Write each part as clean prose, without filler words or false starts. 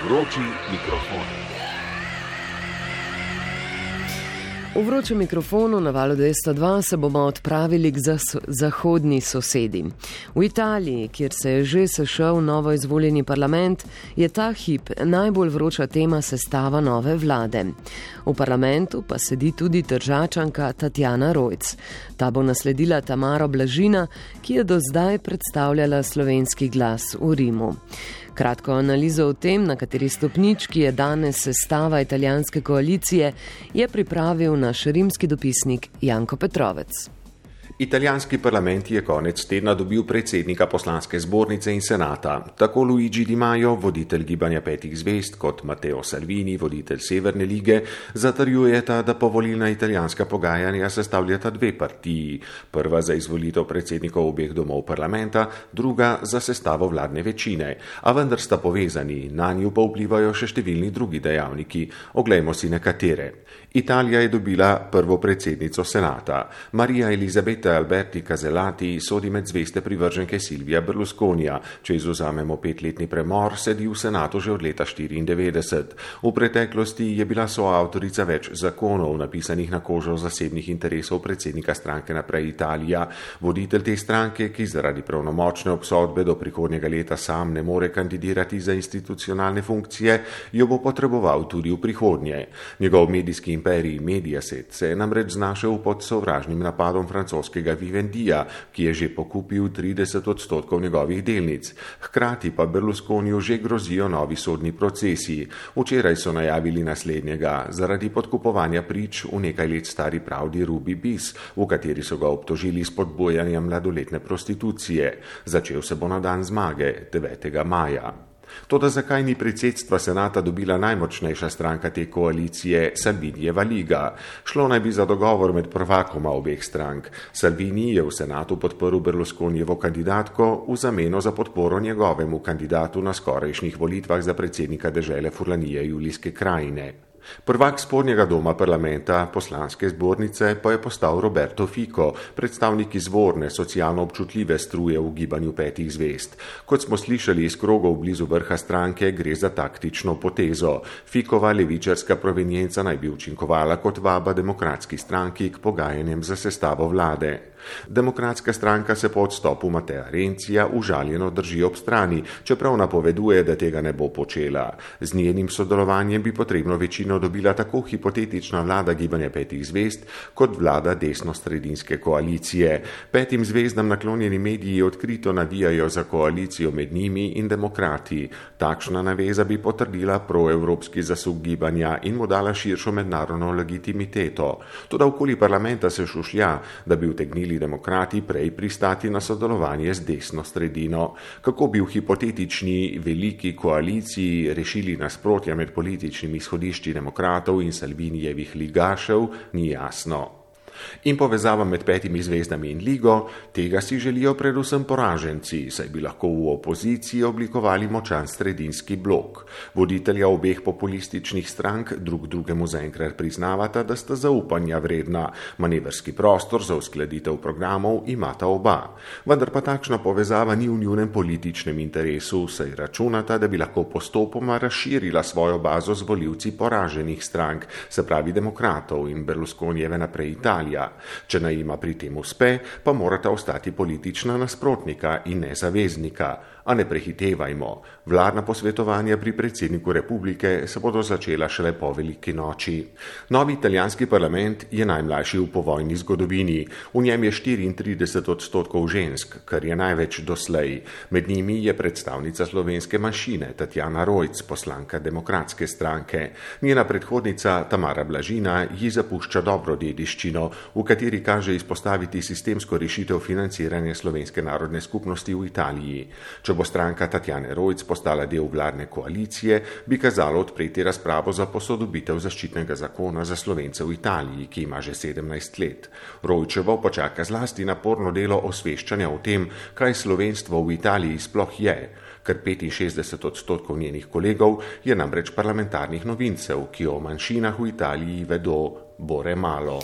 Vroči mikrofon. V vročem mikrofonu na valu 202 se bomo odpravili k zahodni sosedi. V Italiji, kjer se je že sešel novo izvoljeni parlament, je ta hip najbolj vroča tema sestava nove vlade. V parlamentu pa sedi tudi Tržačanka Tatjana Rojc. Ta bo nasledila Tamaro Blažina, ki je do zdaj predstavljala Slovenski glas v Rimu. Kratko analizo o tem, na kateri stopnički je danes sestava italijanske koalicije, je pripravil naš rimski dopisnik Janko Petrovec. Italijanski parlament je konec tedna dobil predsednika poslanske zbornice in senata. Tako Luigi Di Maio, voditelj gibanja petih zvezd, kot Matteo Salvini, voditelj Severne lige, zatrjujeta, da povolilna italijanska pogajanja sestavljata dve partiji. Prva za izvolitev predsednikov obeh domov parlamenta, druga za sestavo vladne večine. A vendar sta povezani, nanju pa vplivajo še številni drugi dejavniki. Oglejmo si nekatere. Italija je dobila prvo predsednico senata. Marija Elizabeta Alberti Casellati sodi med zveste privrženke Silvija Berlusconija. Če izvzamemo 5-letni premor, sedi v senatu že od leta 1994. V preteklosti je bila soavtorica več zakonov, napisanih na kožo zasebnih interesov predsednika stranke Naprej Italija. Voditelj te stranke, ki zaradi pravnomočne obsodbe do prihodnjega leta sam ne more kandidirati za institucionalne funkcije, jo bo potreboval tudi v prihodnje. Njegov medijski imperij Mediaset se je namreč znašel pod sovražnim napadom francoskega Vivendija, ki je že pokupil 30% njegovih delnic. Hkrati pa Berlusconiju že grozijo novi sodni procesi. Včeraj so najavili naslednjega zaradi podkupovanja prič v nekaj let stari pravdi Ruby Bis, v kateri so ga obtožili spodbujanja mladoletne prostitucije. Začel se bo na dan zmage, 9. maja. Toda zakaj ni predsedstva senata dobila najmočnejša stranka te koalicije, Salvinijeva liga? Šlo naj bi za dogovor med prvakoma obeh strank. Salvini je v senatu podprl Berlusconijevo kandidatko v zameno za podporo njegovemu kandidatu na skorajšnjih volitvah za predsednika dežele Furlanije Julijske krajine. Prvak spodnjega doma parlamenta, poslanske zbornice, pa je postal Roberto Fico, predstavnik izvorne, socialno občutljive struje v gibanju petih zvezd. Kot smo slišali iz krogov blizu vrha stranke, gre za taktično potezo. Ficova levičarska provenienca naj bi učinkovala kot vaba demokratski stranki k pogajanjem za sestavo vlade. Demokratska stranka se po odstopu Matea Renzija užaljeno drži ob strani, čeprav napoveduje, da tega ne bo počela. Z njenim sodelovanjem bi potrebno večino dobila tako hipotetična vlada gibanja petih zvezd, kot vlada desno-sredinske koalicije. Petim zvezdam naklonjeni mediji odkrito navijajo za koalicijo med njimi in demokrati. Takšna naveza bi potrdila proevropski zasuk gibanja in mu dala širšo mednarodno legitimiteto. Toda okoli parlamenta se šušlja, da bi utegnili demokrati prej pristati na sodelovanje z desno sredino. Kako bi v hipotetični veliki koaliciji rešili nasprotja med političnimi izhodišči demokratov in Salvinijevih ligašev, ni jasno. In povezava med petimi zvezdami in ligo, tega si želijo predvsem poraženci, saj bi lahko v opoziciji oblikovali močan sredinski blok. Voditelja obeh populističnih strank drug drugemu zaenkrat priznavata, da sta zaupanja vredna. Manevrski prostor za uskladitev programov imata oba. Vendar pa takšna povezava ni v njunem političnem interesu, saj računata, da bi lahko postopoma razširila svojo bazo z volivci poraženih strank, se pravi demokratov in Berlusconijeve Naprej Italije. Če naj ima pri tem uspe, pa morata ostati politična nasprotnika in ne zaveznika. A ne prehitevajmo. Vladna posvetovanja pri predsedniku republike se bodo začela šele po veliki noči. Novi italijanski parlament je najmlajši v povojni zgodovini. V njem je 34% žensk, kar je največ doslej. Med njimi je predstavnica slovenske manjšine Tatjana Rojc, poslanka demokratske stranke. Njena predhodnica Tamara Blažina ji zapušča dobro dediščino, v kateri kaže izpostaviti sistemsko rešitev financiranja slovenske narodne skupnosti v Italiji. Če bo stranka Tatjane Rojc postala del vladne koalicije, bi kazalo odpreti razpravo za posodobitev zaščitnega zakona za Slovence v Italiji, ki ima že 17 let. Rojčevo počaka zlasti naporno delo osveščanja o tem, kaj slovenstvo v Italiji sploh je. Kar 65% njenih kolegov je namreč parlamentarnih novincev, ki o manjšinah v Italiji vedo bore malo.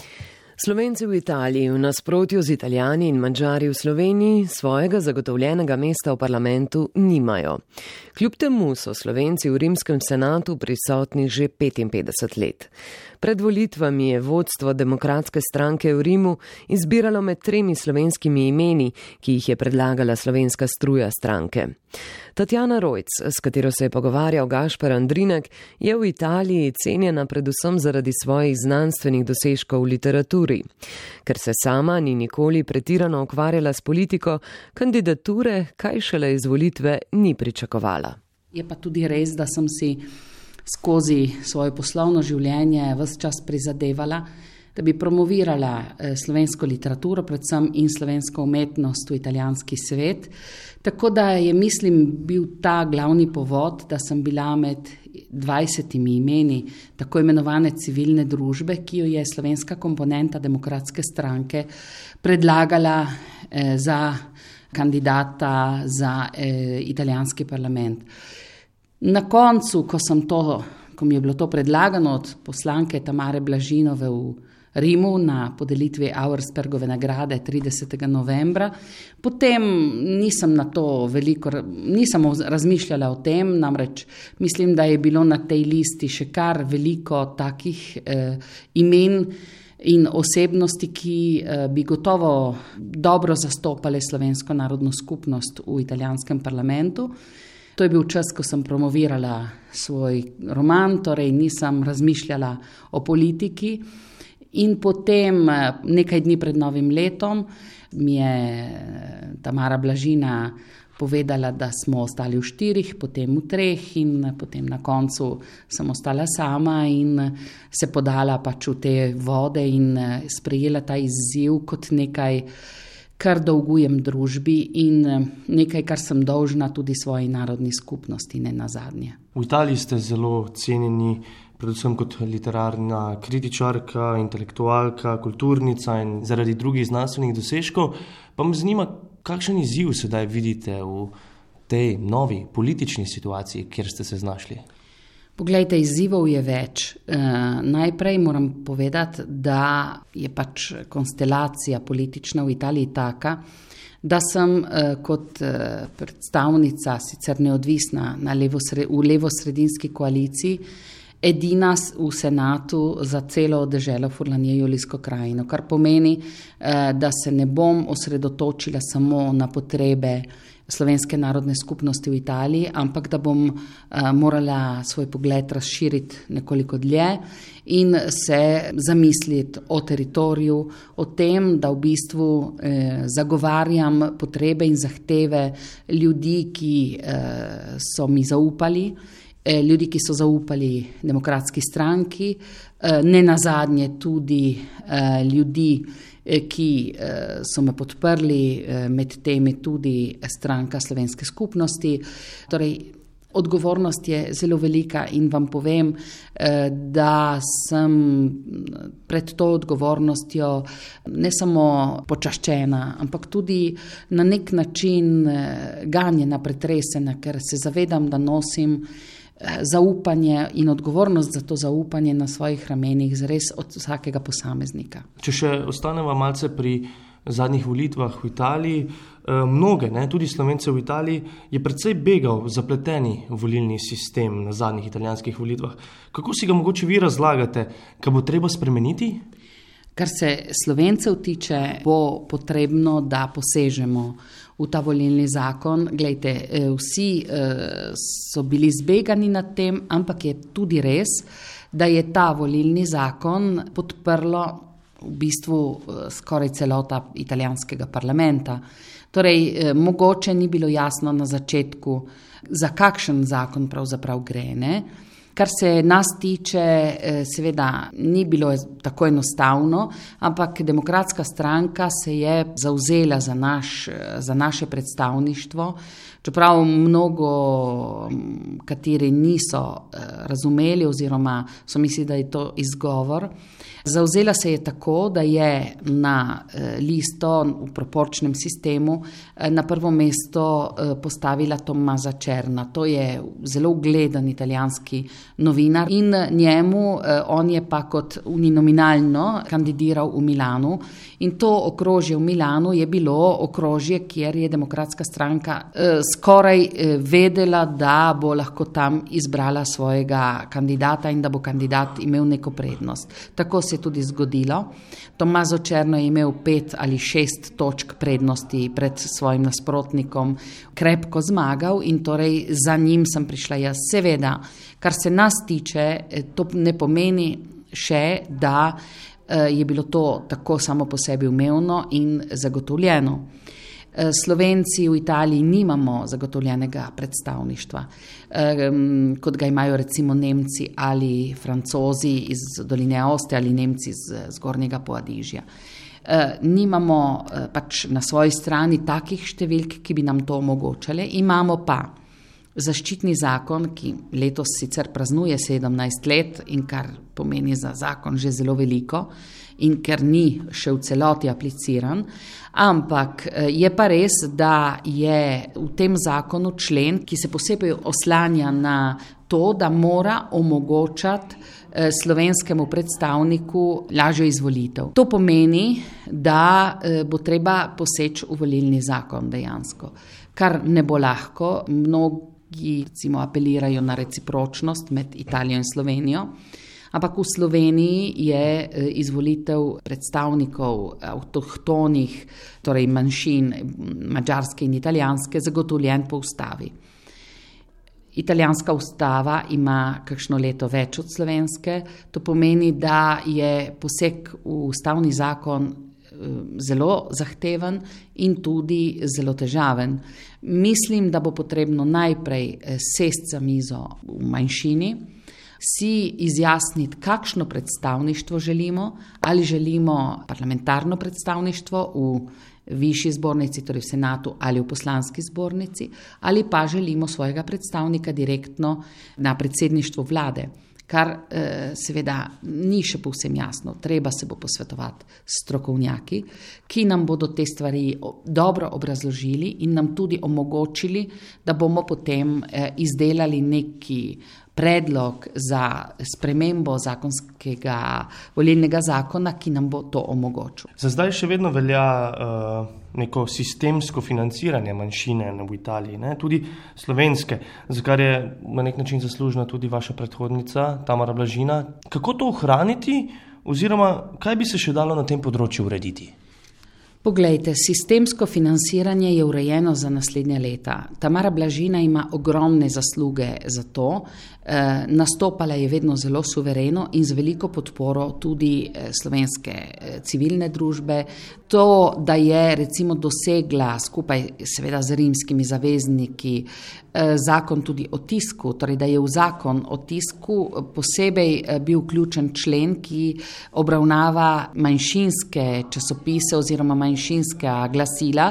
Slovenci v Italiji v nasprotju z Italijani in Madžari v Sloveniji svojega zagotovljenega mesta v parlamentu nimajo. Kljub temu so Slovenci v rimskem senatu prisotni že 55 let. Pred volitvami je vodstvo Demokratske stranke v Rimu izbiralo med 3 slovenskimi imeni, ki jih je predlagala slovenska struja stranke. Tatjana Rojc, s katero se je pogovarjal Gašper Andrinek, je v Italiji cenjena predvsem zaradi svojih znanstvenih dosežkov v literaturi. Ker se sama ni nikoli pretirano ukvarjala s politiko, kandidature, kaj šele izvolitve, ni pričakovala. Je pa tudi res, da sem si skozi svoje poslovno življenje ves čas prizadevala, da bi promovirala slovensko literaturo, predvsem in slovensko umetnost v italijanski svet. Tako da je, mislim, bil ta glavni povod, da sem bila med 20 imeni tako imenovane civilne družbe, ki jo je slovenska komponenta Demokratske stranke predlagala za kandidata za italijanski parlament. Na koncu, ko mi je bilo to predlagano od poslanke Tamare Blažinove v Rimu na podelitvi Auerspergove nagrade 30. novembra, potem nisem razmišljala o tem, namreč mislim, da je bilo na tej listi še kar veliko takih imen in osebnosti, ki bi gotovo dobro zastopale slovensko narodno skupnost v italijanskem parlamentu. To je bil čas, ko sem promovirala svoj roman, torej nisem razmišljala o politiki. In potem, nekaj dni pred novim letom, mi je Tamara Blažina povedala, da smo ostali v 4, potem v 3 in potem na koncu sem ostala sama in se podala pač v te vode in sprejela ta izziv kot nekaj, kar dolgujem družbi in nekaj, kar sem dolžna tudi svoji narodni skupnosti, ne nazadnje. V Italiji ste zelo cenjeni, predvsem kot literarna kritičarka, intelektualka, kulturnica in zaradi drugih znanstvenih dosežkov. Pa me zanima, kakšen izziv sedaj vidite v tej novi politični situaciji, kjer ste se znašli? Poglejte, izzivov je več. Najprej moram povedati, da je pač konstelacija politična v Italiji taka, da sem kot predstavnica, sicer neodvisna v levosredinski koaliciji, edina v senatu za celo deželo Furlanije-Julijsko krajino, kar pomeni, da se ne bom osredotočila samo na potrebe slovenske narodne skupnosti v Italiji, ampak da bom morala svoj pogled razširiti nekoliko dlje in se zamisliti o teritoriju, o tem, da v bistvu zagovarjam potrebe in zahteve ljudi, ki so mi zaupali, ljudi, ki so zaupali Demokratski stranki, ne nazadnje tudi ljudi, ki so me podprli, med temi tudi stranka slovenske skupnosti. Torej, odgovornost je zelo velika in vam povem, da sem pred to odgovornostjo ne samo počaščena, ampak tudi na nek način ganjena, pretresena, ker se zavedam, da nosim zaupanje in odgovornost za to zaupanje na svojih ramenih zares od vsakega posameznika. Če še ostaneva malce pri zadnjih volitvah v Italiji, mnoge, tudi Slovence v Italiji, je precej begal zapleteni volilni sistem na zadnjih italijanskih volitvah. Kako si ga mogoče vi razlagate, kaj bo treba spremeniti? Kar se Slovencev tiče, bo potrebno, da posežemo v ta volilni zakon. Glejte, vsi so bili zbegani nad tem, ampak je tudi res, da je ta volilni zakon podprlo v bistvu skoraj celota italijanskega parlamenta. Torej, mogoče ni bilo jasno na začetku, za kakšen zakon pravzaprav gre, ne? Kar se nas tiče, seveda ni bilo tako enostavno, ampak Demokratska stranka se je zavzela za naše predstavništvo, čeprav mnogo kateri niso razumeli oziroma so mislili, da je to izgovor. Zavzela se je tako, da je na listo v proporčnem sistemu na prvo mesto postavila Tommaza Cerna. To je zelo ugleden italijanski novinar in njemu, on je pa kot uninominalno kandidiral v Milanu in to okrožje v Milanu je bilo okrožje, kjer je Demokratska stranka skoraj vedela, da bo lahko tam izbrala svojega kandidata in da bo kandidat imel neko prednost. Tako se je tudi zgodilo. Tommaso Cerno je imel 5 ali 6 točk prednosti pred svojim nasprotnikom, krepko zmagal in torej za njim sem prišla jaz. Seveda, kar se nas tiče, to ne pomeni še, da je bilo to tako samo po sebi umevno in zagotovljeno. Slovenci v Italiji nimamo zagotovljenega predstavništva, kot ga imajo recimo Nemci ali Francozi iz doline Aoste ali Nemci iz Zgornjega Poadižja. Nimamo pač na svoji strani takih številk, ki bi nam to omogočale. Imamo pa zaščitni zakon, ki letos sicer praznuje 17 let in kar pomeni za zakon že zelo veliko in ker ni še v celoti apliciran, ampak je pa res, da je v tem zakonu člen, ki se posebej oslanja na to, da mora omogočati slovenskemu predstavniku lažjo izvolitev. To pomeni, da bo treba poseči v volilni zakon dejansko, kar ne bo lahko. Mnogi recimo apelirajo na recipročnost med Italijo in Slovenijo, ampak v Sloveniji je izvolitev predstavnikov avtohtonih, torej manjšin, madžarske in italijanske, zagotovljen po ustavi. Italijanska ustava ima kakšno leto več od slovenske, to pomeni, da je poseg v ustavni zakon zelo zahteven in tudi zelo težaven. Mislim, da bo potrebno najprej sesti za mizo v manjšini, si izjasniti, kakšno predstavništvo želimo, ali želimo parlamentarno predstavništvo v višji zbornici, torej v senatu ali v poslanski zbornici, ali pa želimo svojega predstavnika direktno na predsedništvu vlade, kar seveda ni še povsem jasno. Treba se bo posvetovati s strokovnjaki, ki nam bodo te stvari dobro obrazložili in nam tudi omogočili, da bomo potem izdelali neki predlog za spremembo zakonskega volilnega zakona, ki nam bo to omogočil. Za zdaj še vedno velja neko sistemsko financiranje manjšine v Italiji, ne? Tudi slovenske, za kar je na nek način zaslužna tudi vaša predhodnica Tamara Blažina. Kako to ohraniti oziroma kaj bi se še dalo na tem področju urediti? Poglejte, sistemsko financiranje je urejeno za naslednja leta. Tamara Blažina ima ogromne zasluge za to. Nastopala je vedno zelo suvereno in z veliko podporo tudi slovenske civilne družbe. To, da je recimo dosegla skupaj seveda z rimskimi zavezniki zakon tudi o tisku, torej da je v zakon o tisku posebej bil vključen člen, ki obravnava manjšinske časopise oziroma manjšinska glasila,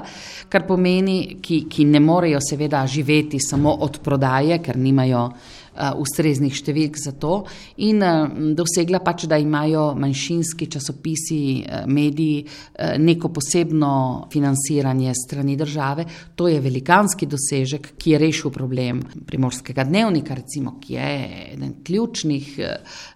kar pomeni, ki ne morejo seveda živeti samo od prodaje, ker nimajo ustreznih številk za to in dosegla pač, da imajo manjšinski časopisi, mediji neko posebno financiranje strani države. To je velikanski dosežek, ki je rešil problem Primorskega dnevnika, recimo, ki je eden ključnih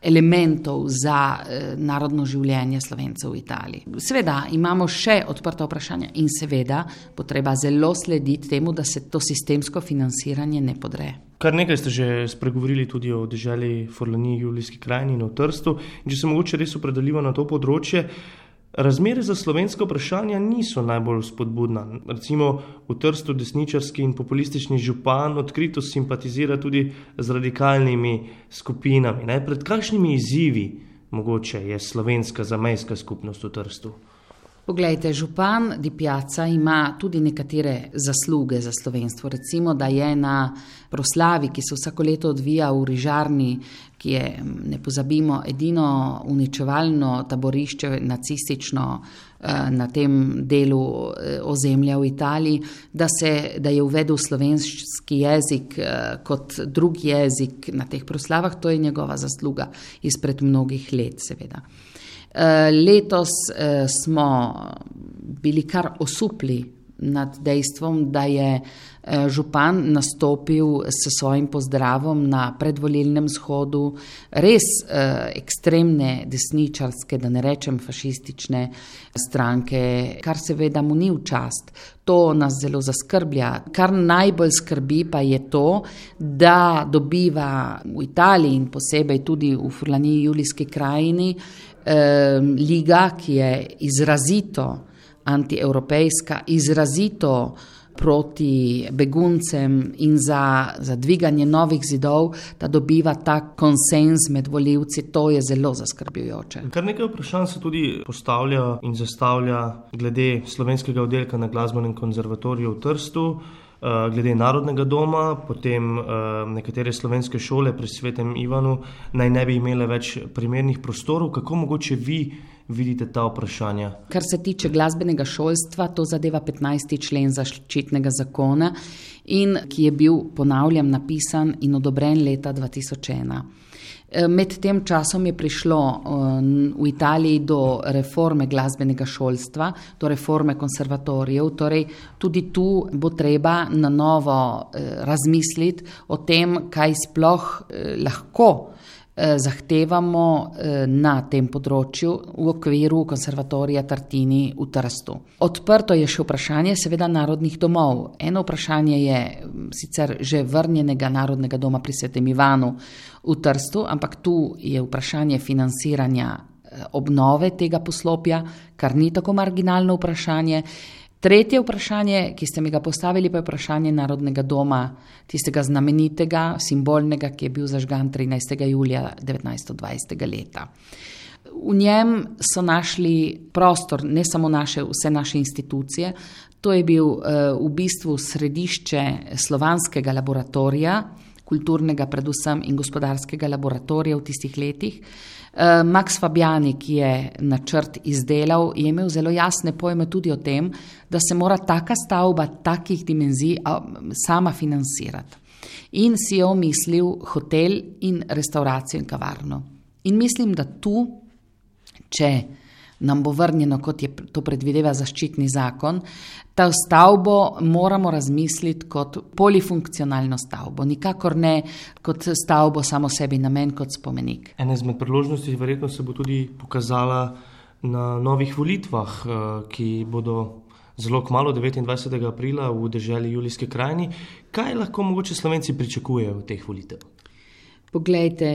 elementov za narodno življenje Slovencev v Italiji. Seveda imamo še odprta vprašanja in seveda bo treba zelo slediti temu, da se to sistemsko financiranje ne podre. Kar nekaj ste že spregovorili tudi o deželi Forlaniji, Julijski krajini in o Trstu. In če se mogoče res opredelimo na to področje, razmere za slovenska vprašanja niso najbolj spodbudna. Recimo v Trstu desničarski in populistični župan odkrito simpatizira tudi z radikalnimi skupinami. Ne? Pred kakšnimi izzivi mogoče je slovenska zamejska skupnost v Trstu? Poglejte, župan Di Piazza ima tudi nekatere zasluge za slovenstvo. Recimo, da je na proslavi, ki se vsako leto odvija v Rižarni, ki je, ne pozabimo, edino uničevalno taborišče nacistično na tem delu ozemlja v Italiji, da je uvedel slovenski jezik kot drugi jezik na teh proslavah, to je njegova zasluga izpred mnogih let, seveda. Letos smo bili kar osupli nad dejstvom, da je župan nastopil s svojim pozdravom na predvolilnem shodu res ekstremne desničarske, da ne rečem fašistične stranke, kar seveda mu ni v čast. To nas zelo zaskrblja. Kar najbolj skrbi pa je to, da dobiva v Italiji in posebej tudi v Furlaniji Julijski krajini liga, ki je izrazito antievropejska, izrazito proti beguncem in za dviganje novih zidov, da dobiva ta konsenz med volivci, to je zelo zaskrbljujoče. Kar nekaj vprašanj se tudi postavlja in zastavlja glede slovenskega oddelka na Glasbenem konzervatoriju v Trstu, glede Narodnega doma, potem nekatere slovenske šole pri Svetem Ivanu naj ne bi imele več primernih prostorov. Kako mogoče vi vidite ta vprašanja? Kar se tiče glasbenega šolstva, to zadeva 15. člen zaščitnega zakona, in ki je bil, ponavljam, napisan in odobren leta 2001. Med tem časom je prišlo v Italiji do reforme glasbenega šolstva, do reforme konservatorijev, torej tudi tu bo treba na novo razmisliti o tem, kaj sploh lahko zahtevamo na tem področju v okviru konservatorija Tartini v Trstu. Odprto je še vprašanje seveda narodnih domov. Eno vprašanje je sicer že vrnjenega Narodnega doma pri Svetem Ivanu v Trstu, ampak tu je vprašanje financiranja obnove tega poslopja, kar ni tako marginalno vprašanje. Tretje vprašanje, ki ste mi ga postavili, pa je vprašanje Narodnega doma, tistega znamenitega, simbolnega, ki je bil zažgan 13. julija 1920. leta. V njem so našli prostor, ne samo vse naše institucije, to je bil v bistvu središče slovanskega laboratorija, kulturnega predvsem in gospodarskega laboratorija v tistih letih. Max Fabiani, ki je načrt izdelal, je imel zelo jasne pojme tudi o tem, da se mora taka stavba takih dimenzij sama financirati. In si je omislil hotel in restauracijo in kavarno. In mislim, da tu, če nam bo vrnjeno, kot je to predvideva zaščitni zakon, ta stavbo moramo razmisliti kot polifunkcionalno stavbo, nikakor ne kot stavbo samo sebi namen, kot spomenik. Ena izmed priložnosti verjetno se bo tudi pokazala na novih volitvah, ki bodo zelo kmalu 29. aprila v deželi Julijske krajini. Kaj lahko mogoče Slovenci pričakujejo od teh volitev? Poglejte,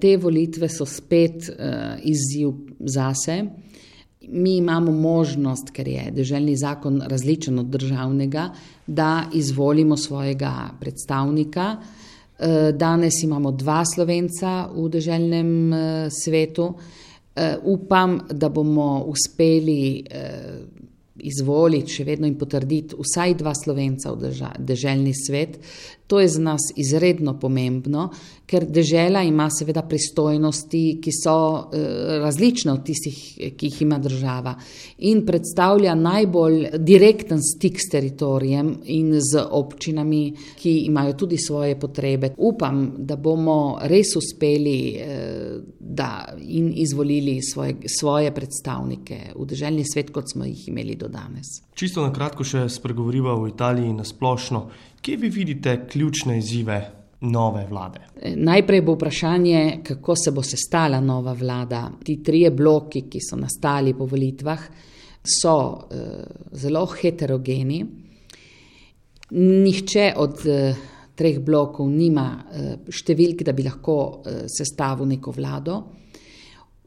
te volitve so spet izziv zase. Mi imamo možnost, ker je deželni zakon različen od državnega, da izvolimo svojega predstavnika. Danes imamo 2 Slovenca v deželnem svetu. Upam, da bomo uspeli izvoliti še vedno in potrditi vsaj 2 Slovenca v deželni svet. To je za nas izredno pomembno, ker dežela ima seveda pristojnosti, ki so različne od tistih, ki jih ima država, in predstavlja najbolj direkten stik s teritorijem in z občinami, ki imajo tudi svoje potrebe. Upam, da bomo res uspeli in izvolili svoje predstavnike v deželni svet, kot smo jih imeli do danes. Čisto na kratko še spregovoriva o Italiji na splošno. Kje vi vidite ključne izzive nove vlade? Najprej bo vprašanje, kako se bo sestala nova vlada. Ti 3 bloki, ki so nastali po volitvah, so zelo heterogeni. Nihče od 3 blokov nima številk, da bi lahko sestavil neko vlado.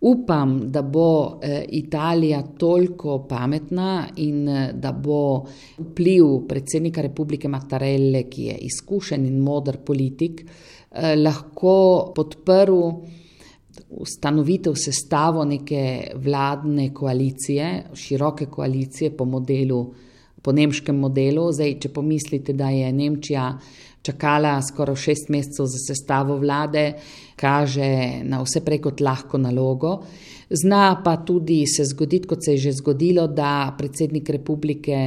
Upam, da bo Italija toliko pametna in da bo vpliv predsednika Republike Mattarelle, ki je izkušen in moder politik, lahko podprl ustanovitev sestavo neke vladne koalicije, široke koalicije po nemškem modelu. Zdaj, če pomislite, da je Nemčija čakala skoraj 6 mesecev za sestavo vlade, kaže na vse prej kot lahko nalogo. Zna pa tudi se zgoditi, kot se je že zgodilo, da predsednik republike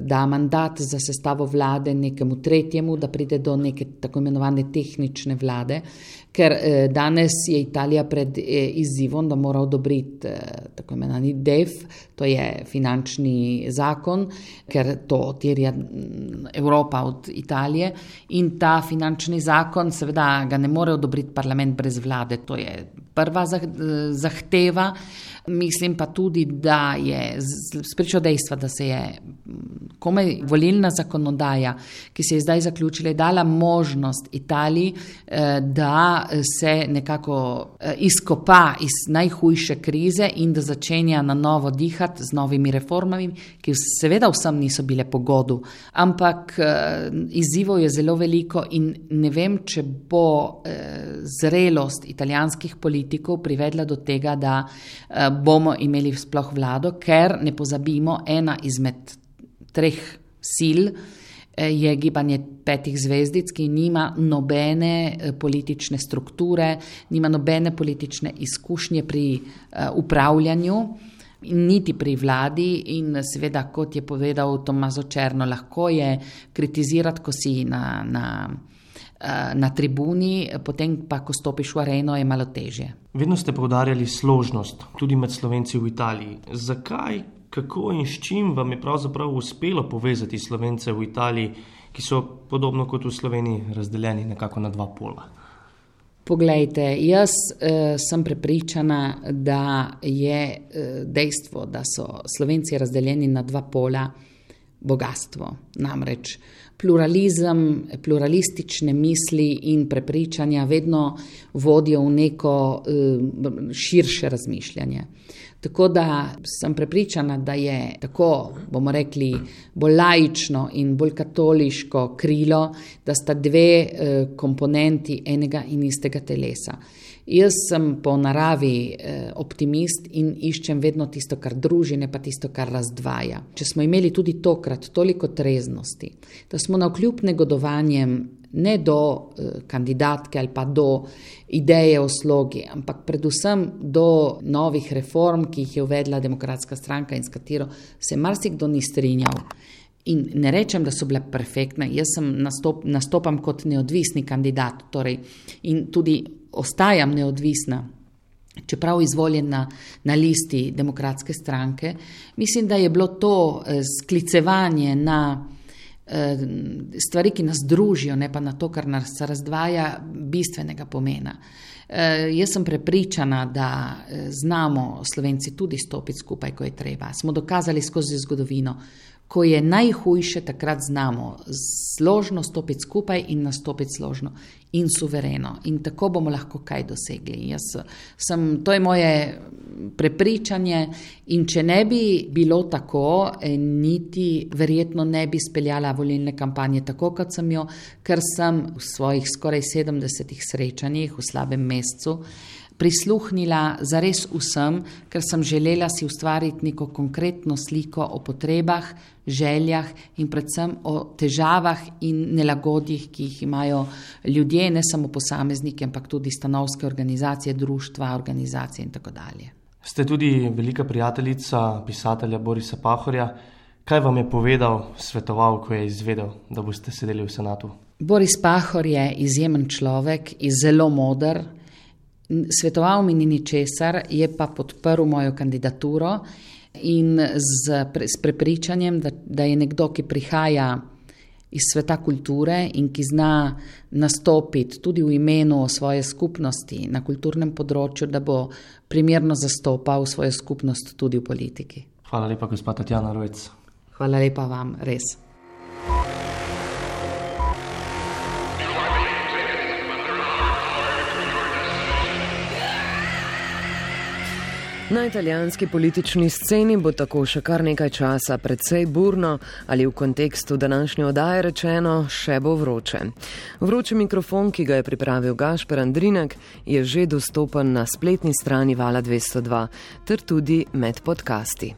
da mandat za sestavo vlade nekemu tretjemu, da pride do neke tako imenovane tehnične vlade, ker danes je Italija pred izzivom, da mora odobriti tako imenovani DEF, to je finančni zakon, ker to terja Evropa od Italije, in ta finančni zakon seveda ga ne more odobriti parlament brez vlade, to je prva zahteva. Mislim pa tudi, da je spričo dejstva, da se je komaj volilna zakonodaja, ki se je zdaj zaključila, dala možnost Italiji, da se nekako izkopa iz najhujše krize in da začenja na novo dihati z novimi reformami, ki seveda vsem niso bile po godu, ampak izzivov je zelo veliko in ne vem, če bo zrelost italijanskih politikov privedla do tega, da bomo imeli sploh vlado, ker ne pozabimo, ena izmed 3 sil je gibanje 5 zvezdic, ki nima nobene politične strukture, nima nobene politične izkušnje pri upravljanju, niti pri vladi in seveda, kot je povedal Tommaso Cerno, lahko je kritizirati, ko si na tribuni, potem pa, ko stopiš v areno, je malo težje. Vedno ste poudarjali složnost, tudi med Slovenci v Italiji. Zakaj, kako in s čim vam je pravzaprav uspelo povezati Slovence v Italiji, ki so podobno kot v Sloveniji razdeljeni nekako na 2 pola? Poglejte, jaz sem prepričana, da je dejstvo, da so Slovenci razdeljeni na 2 pola, bogatstvo. Namreč pluralizem, pluralistične misli in prepričanja vedno vodijo v neko širše razmišljanje. Tako da sem prepričana, da je tako, bomo rekli, bolj laično in bolj katoliško krilo, da sta 2 komponenti enega in istega telesa. Jaz sem po naravi optimist in iščem vedno tisto, kar druži, ne pa tisto, kar razdvaja. Če smo imeli tudi tokrat toliko treznosti, da smo navkljub negodovanjem ne do kandidatke ali pa do ideje o slogi, ampak predvsem do novih reform, ki jih je uvedla Demokratska stranka in s katero se marsikdo ni strinjal. In ne rečem, da so bile perfektne, jaz nastopam kot neodvisni kandidat, torej, in tudi ostajam neodvisna, čeprav izvoljena na listi Demokratske stranke. Mislim, da je bilo to sklicevanje na stvari, ki nas družijo, ne pa na to, kar nas razdvaja, bistvenega pomena. Jaz sem prepričana, da znamo Slovenci tudi stopiti skupaj, ko je treba. Smo dokazali skozi zgodovino, ko je najhujše, takrat znamo složno stopiti skupaj in nastopiti složno in suvereno. In tako bomo lahko kaj dosegli. To je moje prepričanje in če ne bi bilo tako, niti verjetno ne bi speljala volilne kampanje tako, kot sem jo, ker sem v svojih skoraj 70 srečanjih v slabem mesecu prisluhnila zares vsem, ker sem želela si ustvariti neko konkretno sliko o potrebah, željah in predvsem o težavah in nelagodjih, ki jih imajo ljudje, ne samo posamezniki, ampak tudi stanovske organizacije, društva, organizacije in tako dalje. Ste tudi velika prijateljica pisatelja Borisa Pahorja. Kaj vam je povedal, svetoval, ko je izvedel, da boste sedeli v senatu? Boris Pahor je izjemen človek, je zelo moder. Svetoval mi ni ničesar, je pa podprl mojo kandidaturo in s prepričanjem, da je nekdo, ki prihaja iz sveta kulture in ki zna nastopiti tudi v imenu svoje skupnosti na kulturnem področju, da bo primerno zastopal svojo skupnost tudi v politiki. Hvala lepa, gospa Tatjana Rojc. Hvala lepa vam, res. Na italijanski politični sceni bo tako še kar nekaj časa precej burno ali v kontekstu današnje oddaje rečeno še bo vroče. Vroči mikrofon, ki ga je pripravil Gašper Andrinek, je že dostopen na spletni strani Vala 202 ter tudi med podcasti.